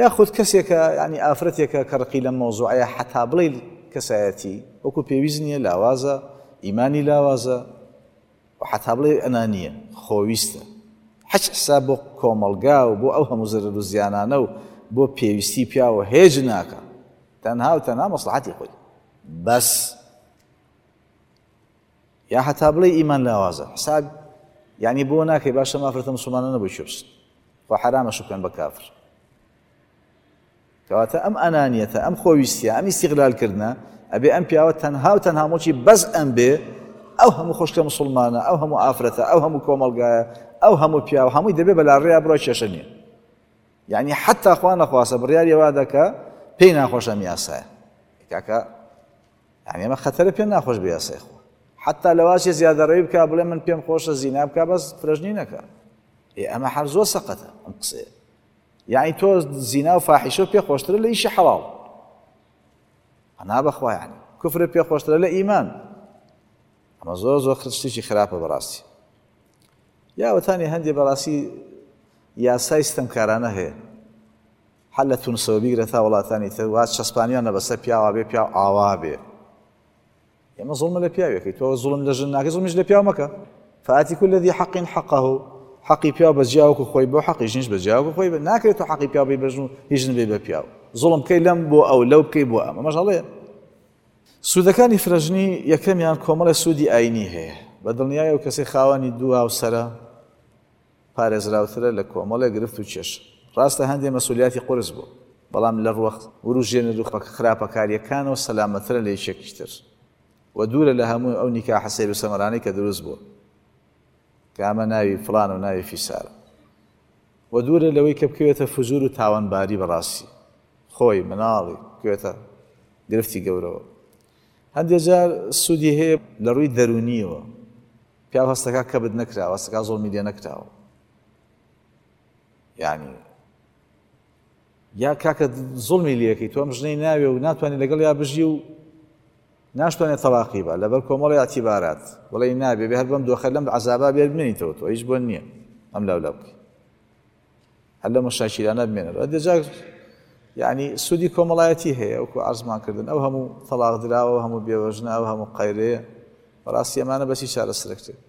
یاخود کەسێکە یعنی ئافرەتێکە کە ڕقی لەم مەوزوعەیە حەتا بڵێ کەسایەتی وەکو پێویست نییە، لاوازە، ئیمانی لاوازە، و حەتا بڵێ ئەنانییە، خۆویستە، حەج حساب بۆ کۆمەڵگا و بۆ ئەو هەموو زەرەر و زیانانە و بۆ پێویستی پیاوە هێج ناکە، تەنها و تەنها مەسڵەحەتی خۆی. بەس یا حتا بڵێ ئیمان لاوازە حساب یعنی بۆ ناکەی باشە ئافرەتە مسلمانە نەبوو کوێ بچن، خۆ حەرامە شو بکەن بە کافر. کەواتە ئەم ئەنانیەتە، ئەم خۆویستیە، ئەم ئیستیغلالکردنە ئەبێ ئەم پیاوە تەنها و تەنها مۆچی بەس ئەم بێ، ئەو هەموو خۆشکە مسلمانە، ئەو هەموو ئافرەتە، ئەو هەموو کۆمەڵگایە، ئەو هەموو پیاوە، هەمووی دەبێ بەلا ڕێیا بڕۆ کێشە نییە. یعنی حتا خوا نەخواسە بڕیاری وا دەکا پێی ناخۆشە ئەم یاسایە. کاکە یعنی ئەمە خەتەرە پێ ناخۆش بێ یاسای خۆ. حتا لەواشێ زیادەڕەوی بکا بڵێ من پێم خۆشە زینا بکا بەس فرەژنی نەکا. ئێ ئەمە هەر زۆر سەقەتە ئەم قسەیە. یعنی تۆ زینا و فاحیشە پێ خۆشترە لە ئیشی حەڵاڵ، ئەنا بەخوا یعنی کوفر پێ خۆشترە لە ئیمان. ئەمە زۆر زۆر شتێکی خراپە بەڕاستی. یا وتانی هەندێ بەڕاستی یاسای ستەمکارانە هەیە، هەر لە تونسەوە بیگرە تا وڵاتانی تر وا چەسپانیانە بەسەر پیاوە بێ پیاو ئاوا بێ. ئێمە زوڵم لە پیاوێکی، تۆ زوڵم لە ژن ناکەی، زوڵمیش لە پیاو مەکە. فآتی كل ذي حق حقه، حەقی پیاو بە جیاوەکو خۆی بۆ، حەقی ژنیش بە جیاوەکو خۆی بە. ناکرێت تۆ حەقی پیاو بێ بە ژن و هیچ ژن بێ بە پیاو. زوڵم بکەی لەم بۆ ئەو، لەو بکەی بۆ ئەم، ئەمەش هەڵەیە. سوودەکانی فرەژنی یەکەمیان کۆمەڵێ سوودی ئاینی هەیە. بە دڵنیای ئەو کەسەی خاوەنی دوو هاوسەرە پارێزراوترە لە کۆمەڵێ گرفت و کێش. ڕاستە هەندێ مەسئولیاتی قورس بوو، بەڵام لە ڕووە وروژێنەر و خراپەکاریەکانەوە سەلامەترە لە یەکێکی تر و دوورە لە هەموو ئەو نیکاحە سەیر و سەمەرانەی کە دروست بووە کە ئەمە ناوی فڵان و ناوی فیسارە، و دوورە لەوەی کە بکەوێتە فجور و تاوانباری بەڕاستی خۆی مناڵی بکەوێتە گرفتی گەورەوە. هەندێک جار سوودی هەیە لە ڕووی دەرونیەوە، پیاو هەستەکە کەبت نەکراوە، هەستەکە زوڵمی لێ نەکراوە. یعنی یا کاکە زوڵمی لێەکەی تۆ ئەم ژنەی ناوێ و ناتوانێت لەگەڵ یا بژی و ناشتوانێت تەلاقی بە لەبەر کۆمەڵی ئاعتیبارات، بڵێ نابێ بێ هەر بەم دۆخە لەم عەزابا بێ بمێنیتەوە، تۆ هیچ بۆ نییە ئەم لاو لاو بکەی، هەر لەم مشاکیلانە بمێنەوە. هەندێک جار یعنی سوودی کۆمەڵایەتی هەیە، وەکو عەرزمان کردن ئەو هەموو تەلاق دراوە، ئەو هەموو بێوەژنە، ئەو هەموو قەیرەیە، بەڕاستی ئەمانە بەچی چارەسەرکرێت.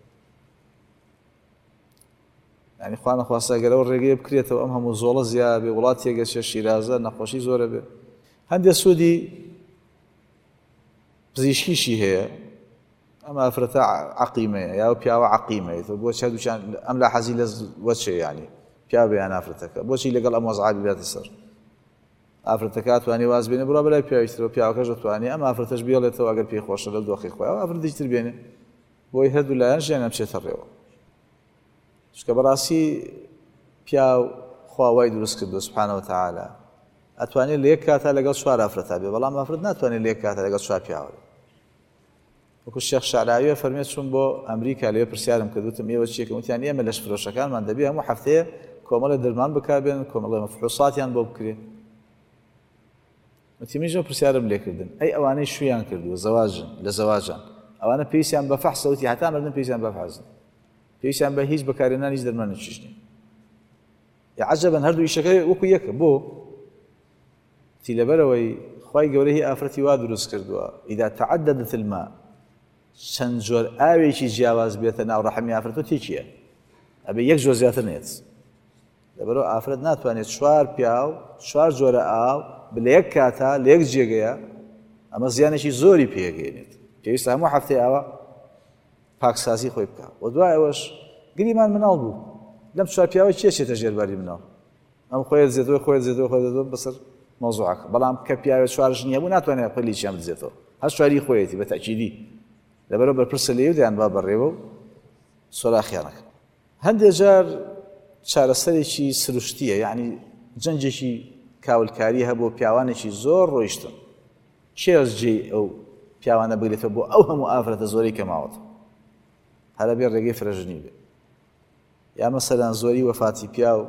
یعنی خوا نەخواستە ئەگەر ئەو ڕێگەیە بکرێتەوە ئەم هەموو زۆڵە زیاد بێ، وڵات تێگەچێ، شیرازە نەخۆشی زۆرە بێ. هەندێک سوودی پزیشکیشی هەیە. ئەم ئافرەتە عەقیمەیە یا ئەو پیاوە عەقیمەیە، تۆ بۆچی هەردووکیان ئەم لا حەزی لە وەچێ، یعنی پیاو بێ یان ئافرەتەکە، بۆچی لەگەڵ ئەم وەزعە ببێتە سەر؟ ئافرەتەکە ئەتوانێ واز بێنێ بڕوا بەلای پیاوی ترەوە، پیاوەکەش دەتوانێ ئەم ئافرەتەش بێڵێتەوە ئەگەر پێی خۆشە لەو دۆخی خۆی، ئەو ئافرەتێکی تر بێنێ بۆی هەردوو لایەن ژیانیان بچێتە ڕێوە. چونکە بەڕاستی پیاو خوا وای دروست کردووە سبحانە وتعالی، ئەتوانێت لە یەک کاتا لەگەڵ چوار ئافرەتا بێ، بەڵام ئافرەت ناتوانێت لە یەک کاتا لەگەڵ چوار پیاوە بێ. وەکو شێخ شعراویە فەرمێت چوون بۆ ئەمریکا، لەوێ پرسیارم کرد وتم ئێوە چیەکەم؟ وتیان ئێمە لەش فرۆشەکانمان دەبێ هەموو هەفتەیە کۆمەڵێ دەرمان بکاربێنن، کۆمەڵێ مەفحوساتیان بۆ بکرێ. وتی منیش ئەو پرسیارم لێکردن، ئەی ئەوانەی شویان کردووە زەواجن لە زەواجان، ئەوانە پێویستیان بە فەحسە؟ وتی هەتا مردن پێویستیان بە فەحس نییە، پێویستیان بە هیچ بەکارهێنان هیچ دەرمانێکیش نییە. یا عەجەبەن هەردوو ئیشەکە وەکو یەکە. بۆ؟ تی لەبەرەوەی خوای گەورە هی ئافرەتی وا دروست کردووە ئیدا تعددت الماء، چەند جۆر ئاوێکی جیاواز بێتە ناو ڕەحمی ئافرەت و تێکیە، ئەبێ یەک جۆر زیاتر نێت. لەبەرەوە ئافرەت ناتوانێت چوار پیاو چوار جۆرە ئاو لە یەک کاتا لە یەک جێگەیە، ئەمە زیانێکی زۆری پێگەیەنێت. پێویستە هەموو هەفتەی ئاوە پاکسازی خۆی بکە. و دوای ئەوەش گریمان مناڵ بوو، لەم چوار پیاوە کێ چێتە ژێرباری مناڵ؟ ئەم خۆی دزێتەوە، خۆی دزێتەوە، خۆی دزێتەوە بەسەر مەوزوعەکە. بەڵام کە پیاوێ چوار ژنی هەبوو ناتوانێت خۆی لێکیان بدزێتەوە، هەر چواری خۆیەتی بە تەئکیدی. لەبەرەوە بەرپرسە لێی و دەیان با بەڕێوە و سۆراخیانەکە. هەندێک جار چارەسەرێکی سروشتیە، یعنی جەنجێکی کاولکاری هەبوو، پیاوانێکی زۆر ڕۆیشتن، کێ جێی ئەو پیاوانە بگرێتەوە بۆ ئەو هەموو ئافرەتە زۆرەی کە ماوەتە؟ هەرە بێ ڕێگەی فرەژنی بێ. یا مەسەلەن زۆری وەفاتی پیاو،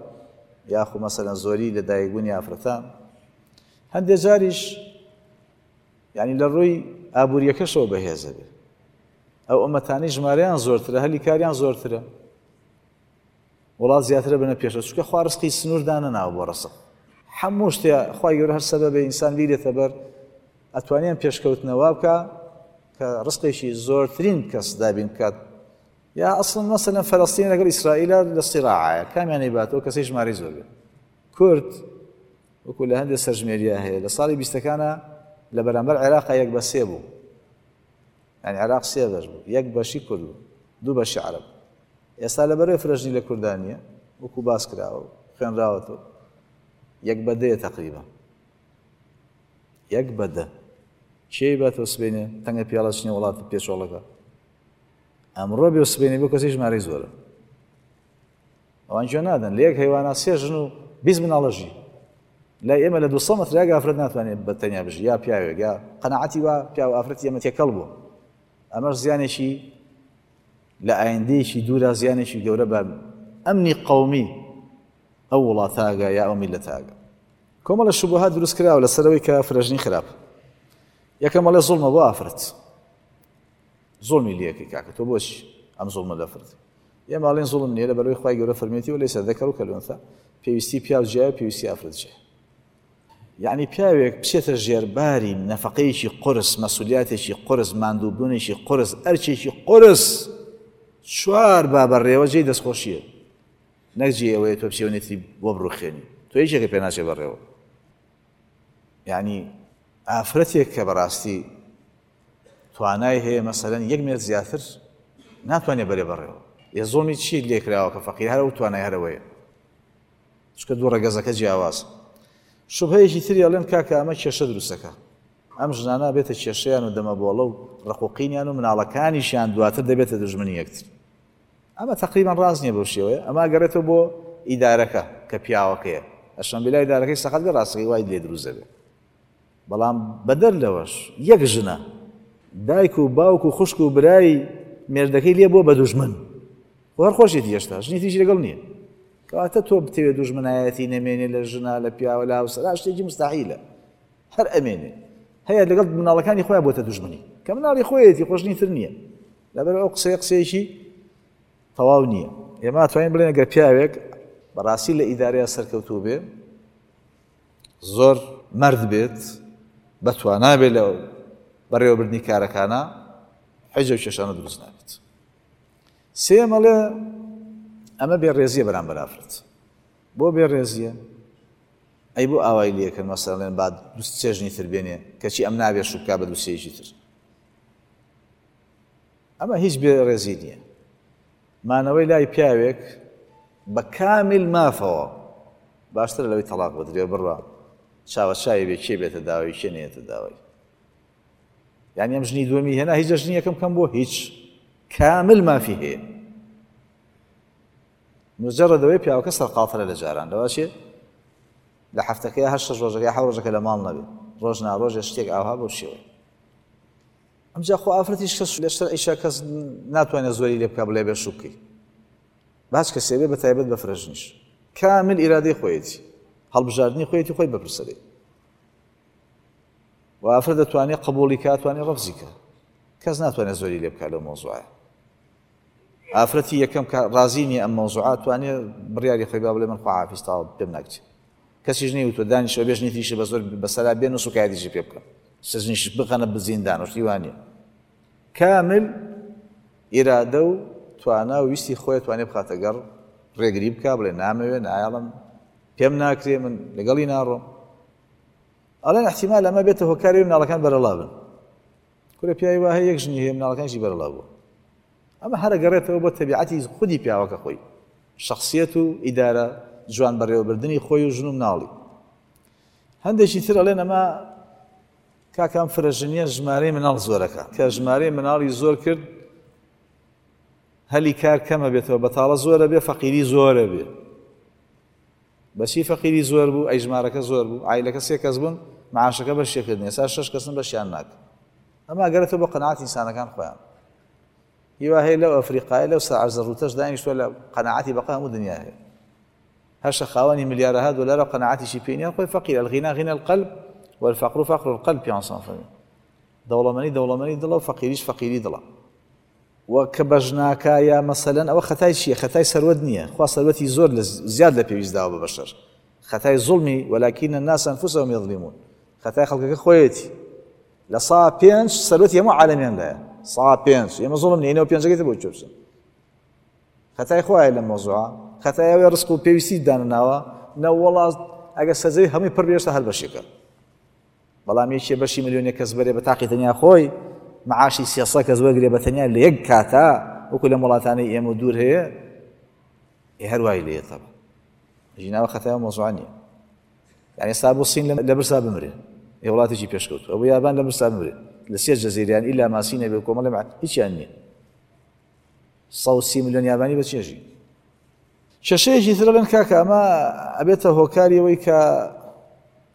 یاخو مەسەلەن زۆری لەدایکبوونی ئافرەتان. هەندێک جاریش یعنی لە ڕووی ئابووریەکەشەوە بەهێزە بێ. ئەو ئومەتانەی ژمارەیان زۆرترە، هەلی کاریان زۆرترە، وڵات زیاترە بنە پێشەوە، چونکە خوا ڕزقی سنوور دانەناوە بۆ ڕزق. هەموو شتێ خوای گەورە هەر سەبەبێ ئینسان بیرێتە بەر، ئەتوانیان پێشکەوتنەوە بکە کە ڕزقێکی زۆرترین کەس دابین بکات. یا ئەسڵەن مەسەلەن فەلەستین لەگەڵ ئیسرائیلە لە سیراعایە، کامیان نەیباتەوە کەسەی ژمارەی زۆر بێت. کورد وەکو لە هەندێک سەرژمێریە هەیە لە ساڵی بیستەکانە لە بەرامبەر عێراقا یەک بە سێ بوو، یعنی عێراق سێ بەش بوو، یەک بەشی کورد بوو، دوو بەشی عەرەب. ئێستا لەبەرەوەی فرەژنی لە کوردانیە وەکو باس کراوە و خوێنراوەتەوە یەک بە دەیە تەقریبا، یەک بە دە. کێی باتەوە سبەینێ تەنگە پیاڵە چنێ وڵاتە پێچۆڵەکە؟ ئەمڕۆ بێ و سبەینێ بۆ کەسی ژمارەی زۆرە. ئەوان گوێ نادەن. لە یەک هەیوانە سێ ژن و بیست مناڵە ژی. لای ئێمە لە دوو سەد مەتر یەک ئافرەت ناتوانێت بە تەنیا بژی، یا پیاوێک یا قەناعەتی وا پیاو ئافرەتی ئێمە تێکەڵ بوو. ئەمەش زیانێکی لە ئایندەیەکی دوورا زیانێکی گەورە بە ئەمنی قەومی ئەو وڵاتاگە یا ئەو میللەتاگە. کۆمەڵە شوبهات دروست کراوە لەسەرەوەی کە فرەژنی خراپ. یەکەم ئەڵێ زوڵمە بۆ ئافرەت، زوڵمی لێکەی کاکە تۆ بۆچی ئەم زوڵمە لە ئافرەت؟ ئێمە ئەڵێن زوڵم نییە لەبەرەوەی خوای گەورە فەرمێتی ولەیسە الذەکەر کەلئونثا، پێویستی پیاو جیایە پێویستی ئافرەت جیایە. یعنی پیاوێک بچێتە ژێرباری نەفەقەیەکی قورس، مەسولیاتێکی قورس، ماندووبوونێکی قورس، ئەرکێکی قورس، چوار بابەڕێوە جێی دەستخۆشیە، نەک جێی ئەوەیە تۆ بچێ نێتری بۆ بڕوخێنی، تۆ یەکێکە پێ ناچێ بەڕێوە. یعنی ئافرەتێک کە بەڕاستی توانای هەیە مەسەلەن یەک مێرد زیاتر ناتوانێت بەرێ بەڕێوە. ئێ زوڵمی چی لێکراوە کە فەقیر هەرە و توانای هەرەوەیە، چونکە دوو ڕەگەزەکە جیاواز. شوبهەیەکی تری ئەڵێن کاکە ئەمە کێشە دروستەکە، ئەم ژنانە بێتە کێشەیان و دەمەبۆڵە و ڕقوقینیان و مناڵەکانیشیان دواتر دەبێتە دژمنی یەکتر. ئەمە تقریبا ڕاست نییە بەو شێوەیە، ئەمە ئەگەڕێتەوە بۆ ئیدارەکە کە پیاوەکەیە، ئەشەمبیلا ئیدارەکەی سەقەت بێ ڕاستەکەی وای لێ دروست دەبێت. بەڵام بەدەر لەوەش یەک ژنە دایک و باوک و خوشک و برای مێردەکەی لێ بووە بە دوژمن، خۆ هەر خۆشیەتی هێشتا ژنی تریشی لەگەڵ نییە. کەواتە تۆ بتەوێت دوژمنایەتی نەمێنێ لە ژنە لە پیاوە لە هاوسەرا شتێکی مستحیلە، هەر ئەمێنێ. هەیە لەگەڵ مناڵەکانی خۆیان بۆتە دوژمنی کە مناڵی خۆیەتی خۆشنی تر نییە. لەبەر ئەو قسەیە قسەیەکی تەواو نییە. ئێمە توانین بڵێن ئەگەر پیاوێک بەڕاستی لە ئیدارەیە سەرکەوتوو بێ، زۆر مەرد بێت، بەتوانا بێ لە بەڕێوەبردنی کارەکانە، حیجە و کێشانە دروست نابێت. سێیەم ئەڵێ ئەمە بێڕێزیە بەرامبەر ئافرەت. بۆ بێڕێزیە؟ ئەی بۆ ئاوای لێکرد مەسەڵێن با دوو سێ ژنی تر بێنێ کەچی ئەم نابێ شوو بکا بە دوو سێیەکی تر. ئەمە هیچ بێڕێزی نییە. مانەوەی لای پیاوێک بە کامل مافەوە باشترە لەوەی تەلاق بدرێ بڕوا چاوە چاوی بێ کێ بێتە داوای کێ نێتە داوای. یعنی ئەم ژنی دووەمی هێنا هیچ لە ژنی یەکەم کەم بۆ هیچ، کامل مافی هەیە. مجرد ئەوەی پیاوەکە سەرقاڵترە لە جاران، لەوە چێ لە هەفتەکەی هەر شەش ڕۆژەکە حەوت ڕۆژەکە لە ماڵ نەبێ، ڕۆژ نا ڕۆژێ شتێک ئاوها بەو شێوەیە. ئەمجا خۆ ئافرەتیش کەس لە شەرعیشا کەس ناتوانێت زۆری لێ بکا بڵێ بێ شوو بکەی، باش کەسێ بێ بە تایبەت بە فرەژنیش کامل ئیرادەی خۆیەتی، هەڵبژاردنی خۆیەتی، خۆی بەپرسەرێ. و ئافرەت دەتوانێت قبوڵی کا، توانێت ڕەفزی کا، کەس ناتوانێت زۆری لێ بکا لەو مەوزوعە. ئافرەتی یەکەم کە ڕازی نییە ئەم مەوزوعە توانێت بڕیاری خۆی با بڵێ من خواحافیز تەواو پێم ناکرێ. کەسیش نەیوتووە دانیشەوە بێ ژنی تریشی بە زۆر بەسەرا بێن و سوکایەتیشی پێ بکەن، سەژنیش بخەنە بزیندان و شتی وا نییە. کامل ئیرادە و توانا و ویستی خۆی توانێت بخاتە گەڕ، ڕێگری بکا بڵێ نامەوێ، نایەڵم، پێم ناکرێ، من لەگەڵی ناڕۆم. ئەڵێن احتیمال ئەمە بێتە هۆکاری مناڵەکان بەرەڵا بن. کورە پیاوی وا هەیە یەک ژنی هەیە مناڵەکانیشی بەرەڵا بووە. ئەمە هەر ئەگەڕێتەوە بۆ تەبیعەتی خودی پیاوەکە خۆی، شخصیەت و ئیدارە جوان بەڕێوەبردنی خۆی و ژن و مناڵی. هەندێکی تر ئەڵێن ئەمە کاکام فرەژنیە ژمارەی مناڵ زۆرەکە، کە ژمارەی مناڵی زۆر کرد هەلی کار کەمە بێتەوە، بەتاڵە زۆرە بێ، فەقیری زۆرە بێ. بەچی فەقیری زۆر بوو؟ ئەی ژمارەکە زۆر بوو، عایلەکە سێ کەس بوون، معاشەکە بەشێکردن، ئێستا شەش کەسن بەشیان ناکەن. ئەمە ئەگەرێتەوە بۆ قەناعەتی ئینسانەکان خۆیان. هیوا هەیە لەو ئەفریقایە لەو سەعرزە ڕووتەش دانیشتووە لە قەناعەتی بەقا هەموو دنیا هەیە، هەشە خاوەنی ملیارەها دۆلارە و قەناعەتیشی پێ نییە، خۆی فەقیر. الغنا غنا القلب والفقر فقر القلب، پیانسان فەرمی دەوڵەمەنی دەوڵەمەنی دڵە و فەقیریش فەقیری دڵە. و کە بەژناکە یا مەسەلەن ئەوە خەتای چییە؟ خەتای سەروەت نییە، خوا سەروەتی زۆر زیاد لە پێویست داوە بە بەشەر. خەتای زوڵمی ولكن الناس أنفسهم يظلمون، خەتای خەڵکەکە خۆیەتی. لە سا پێنج سەروەتی هەموو عالەمیان لایە، سا پێنج، ئێمە زوڵم نییە، ئێنەوە پێنجەکەی تر بۆ کوێ بچن؟ خەتای خوایە لەم مەوزوعە، خەتای ئەوەیە ڕزق و پێویستی دانەناوە، نەوەڵا ئەگەر سەرزەوی هەمووی پڕ بێ هێشتا هەر بەشێکە. بەڵام یەکێ بەشی ملیۆنێک کەس بەرێ بە تاقی تەنیا خۆی معاشی سێسە کەس وەرگرێ بە تەنیا لە یەک کاتا وەکو لەم وڵاتانەی ئێمە دوور هەیە، ئێ هەر وای لێیە تەبا. ژیناوە خەتای مەوزوع نییە. یعنی ئێستا بۆ سین لە برسا بمرێ، ئێ وڵاتێکی پێشکەوتوو، ئەبوو یابان لە برسا بمرێ، لە سێ جەزیریان ئیلا ماسی نەبێ و کۆمەڵێ هیچیان نییە. سەد و سی ملیۆن یابانی بە چێژی. کێشەیەکی تر لەن کاکە ئەمە ئەبێتە هۆکاری ئەوەی کە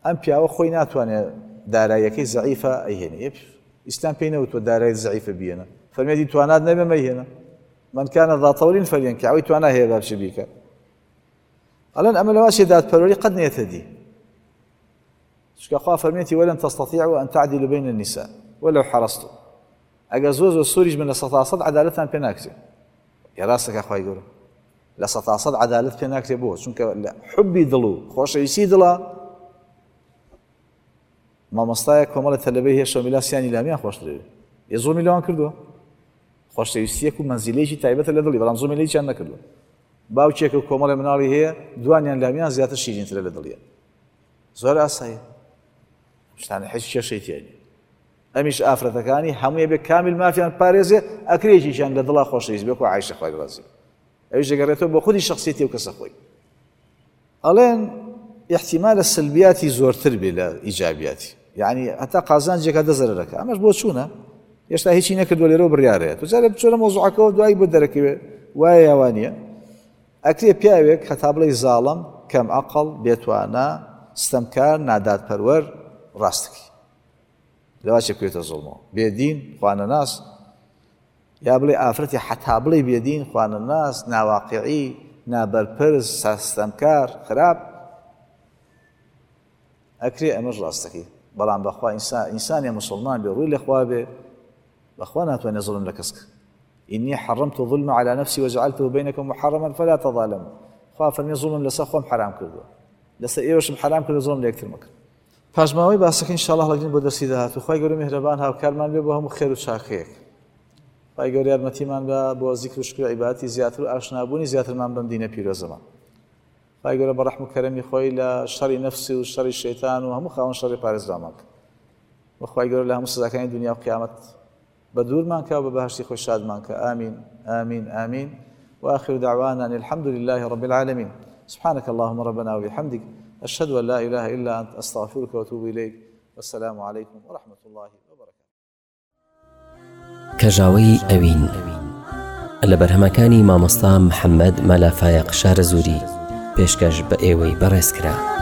ئەم پیاوە خۆی ناتوانێت داراییەکەی زەعیفە ئەیهێنێ. ئیسلام پێی نەوتووە دارایی زەعیفە بیێنە، فەرمێتی توانات نەبێ مەیهێنە. من كان ذا طول فلينكح، ئەوەی توانا هەیە با بچێ بیکە. ئەڵێن ئەمە لەواشێ دادپەروەری قەت نێتە دی، چونکە خوا فەرمێتی ولن تستطيعوا أن تعدلوا بين النساء ولو حرصتم. ئەگەر زۆر زۆر سووریش بن لە سەتا سەد عەدالەتان پێ ناکرێ. ئێ ڕاستەکە خوای گەورە لە سەتا سەد عەدالەت پێ ناکرێ بۆ، چونکە لە حوبی دڵ و خۆشەویستی دڵە مامۆستایە کۆمەڵە تەلەبەی هەیە شەومیلا سیانی لامیان خۆشترێ، ئێ زوڵمی لەوان کردووە. خۆشەویستیەک و مەنزیلەیەکی تایبەتە لە دڵی، بەڵام زوڵمی لە هیچیان نەکردووە. باوکێک و کۆمەڵێ مناڵی هەیە دوانیان لامیان زیاتر شیرینترە لە دڵیە. زۆر ئاسایە، شتانە هیچ کێشەی تیا نییە. ئەمیش ئافرەتەکانی هەموویە بێ کامیل مافیان پارێزێ، ئەکرێکیشیان لە دڵا خۆشەویست بێ، وەکو عایشە خوای ڕازی بێ. ئەویش دەگەڕێتەوە بۆ خودی شخصیەتی و کەسە خۆی. ئەڵێن احتیمالە سلبیاتی زۆرتر بێ لە ئیجابیاتی، یعنی هەتا قازانجێکە دە زەرەرەکە. ئەمەش بۆ چوونە هێشتا هیچی نەکردووە لێرەوە بڕیارەیە. تۆ جارێ بچۆرە مەوزوعەکەوە دوایی بۆ دەرەکەوێ وایە یا وانییە. ئەکرێ پیاوێک هەتا بڵێی زاڵم، کەم عەقڵ، بێتوانا، ستەمکار، نادادپەروەر، ڕاستەکەی لەوا چێ بکەوێتە زوڵمەوە، بێدین، خوانەناس، یا بڵێ ئافرەتی حەتا بڵێ بێدین، خوانەناس، ناواقعی، نابەرپرس، ستەمکار، خراپ، ئەکرێ ئەمەش ڕاستەکەی. بەڵام بەخوا ئینسانی مسلمان بێ، ڕووی لە خوا بێ، بەخوا ناتوانێت زوڵم لە کەس بکە. إني حرمت الظلم على نفسي وجعلته بينكم محرما فلا تظالموا. خوا فەرمی زوڵم لەسەر خۆم حرام کردووە، لەسەر ئێوەشم حرام کردووە، زوڵم لە یەکتر مەکەن. پاشماوەی باسەکە ئینشاءڵڵا هەڵەگرین بۆ دەرسی داهاتوو. خوای گەورە میهرەبان هاوکارمان بێ بۆ هەموو خێر و چاکەیەک. خوای گەورە یارمەتیمان بە بۆ زیکر و شکر و عیبادەتی زیاتر و ئاشنابوونی زیاترمان بەم دینە پیرۆزەمان. خوای گەورە بە ڕەحم و کەرەمی خۆی لە شەڕی نەفسی و شەڕی شەیتان و هەموو خاوەن شەڕی پارێزرامان کە. و خوای گەورە لە هەموو سزاکانی دنیا و قیامەت بە دوورمان کە و بە بەهەشتی خۆی شادمان کە. ئامین ئامین ئامین. وآخر دعوانا أن الحمد لله رب العالمين. سبحانك اللهم ربنا وبحمدك أشهد أن لا إله إلا أنت أستغفرك وأتوب إليك. والسلام عليكم ورحمة الله وبركاته. کەژاوەی ئەوین لە بەرهەمەکانی مامۆستا محەممەد مەلا فایەق شارەزووری پێشکەش بە ئێوەی بەڕێز کرا.